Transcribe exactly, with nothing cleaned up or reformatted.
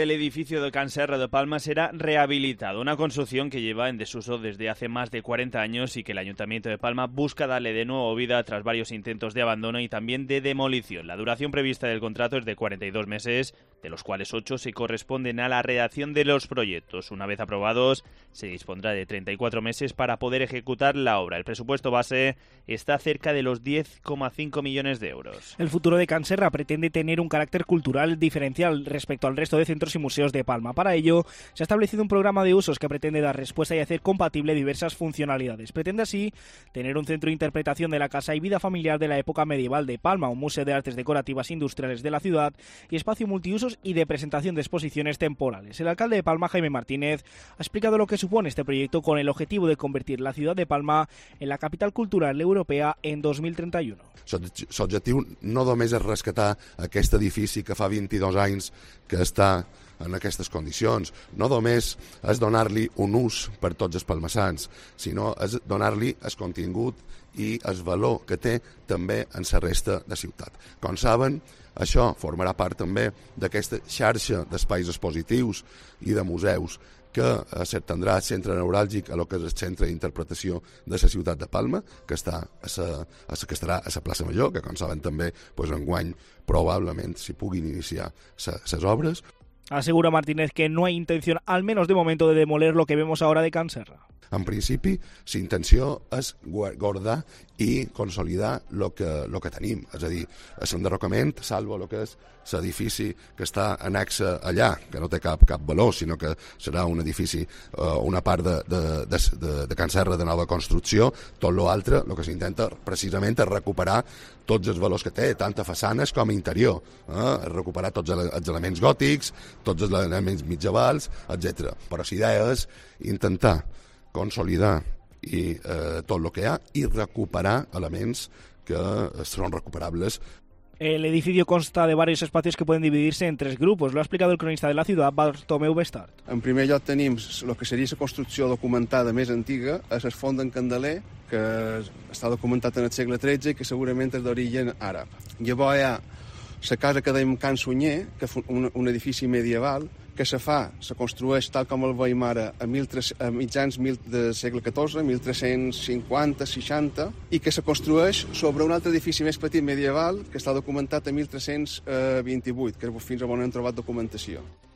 El edificio de Can Serra de Palma será rehabilitado, una construcción que lleva en desuso desde hace más de cuarenta años y que el Ayuntamiento de Palma busca darle de nuevo vida tras varios intentos de abandono y también de demolición. La duración prevista del contrato es de cuarenta y dos meses, de los cuales ocho se corresponden a la redacción de los proyectos. Una vez aprobados, se dispondrá de treinta y cuatro meses para poder ejecutar la obra. El presupuesto base está cerca de los diez coma cinco millones de euros. El futuro de Can Serra pretende tener un carácter cultural diferencial respecto al resto de centros y museos de Palma. Para ello, se ha establecido un programa de usos que pretende dar respuesta y hacer compatible diversas funcionalidades. Pretende así tener un centro de interpretación de la casa y vida familiar de la época medieval de Palma, un museo de artes decorativas industriales de la ciudad y espacio multiusos y de presentación de exposiciones temporales. El alcalde de Palma, Jaime Martínez, ha explicado lo que supone este proyecto con el objetivo de convertir la ciudad de Palma en la capital cultural europea en dos mil trenta y uno. L'objectiu no només és rescatar aquest edifici que fa vint-i-dos anys que està en aquestes condicions, no només és donar-li un ús per tots els palmassans, sinó és donar-li el contingut i el valor que té també en la resta de ciutat. Com saben, això formarà part també d'aquesta xarxa d'espais expositius i de museus que s'estendrà al centre neuràlgic a lo que és el centre d'interpretació de la ciutat de Palma, que, està a sa, a sa, que estarà a la plaça Major, que com saben també pues, enguany probablement s'hi puguin iniciar les obres. Asegura Martínez que no hay intención, al menos de momento, de demoler lo que vemos ahora de Can Serra. En principi, la intenció és guardar i consolidar el que, lo que tenim, és a dir, l'enderrocament, salvo el que és l'edifici que està annexa allà, que no té cap, cap valor, sinó que serà un edifici, eh, una part de, de, de, de, de Can Serra de nova construcció. Tot l'altre, el que s'intenta precisament és recuperar tots els valors que té, tant a façanes com a interior, eh? recuperar tots els elements gòtics, tots els elements mitjavals, etcètera. Però la idea és intentar consolidar i, eh, tot el que hi ha i recuperar elements que seran recuperables. El edificio consta de varios espacios que pueden dividirse en tres grupos. Lo ha explicado el cronista de la ciudad, Bartomeu Bestart. En primer lloc tenim el que seria la construcció documentada més antiga, és el Font d'en Candeler, que està documentat en el segle tretze i que segurament és d'origen àrab. Llavors hi ha la casa que dèiem Can Sunyer, que és un, un edifici medieval, que se fa, se construeix tal com el veiem ara a, a mitjans del segle catorze, mil tres-cents cinquanta seixanta, i que se construeix sobre un altre edifici més petit medieval que està documentat a mil tres-cents vint-i-vuit, que és fins on hem trobat documentació.